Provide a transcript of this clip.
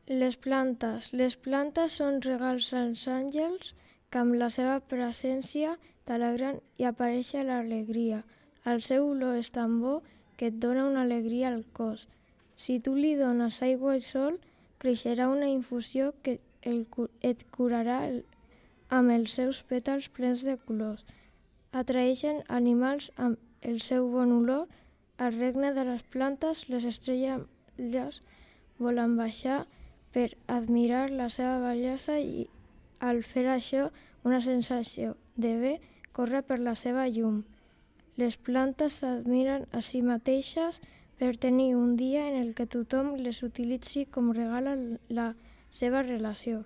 Les plantes. Les plantes són regals als àngels que amb la seva presència t'alegren i apareix l'alegria. El seu olor és tan bo que et dona una alegria al cos. Si tu li dones aigua i sol, creixerà una infusió que et curarà amb els seus pètals plens de colors. Atraeixen animals amb el seu bon olor. Al regne de les plantes, les estrelles volen baixar per admirar la seva bellesa i al fer això una sensació de bé corre per la seva llum. Les plantes s'admiren a si mateixes per tenir un dia en el que tothom les utilitzi com regal a la seva relació.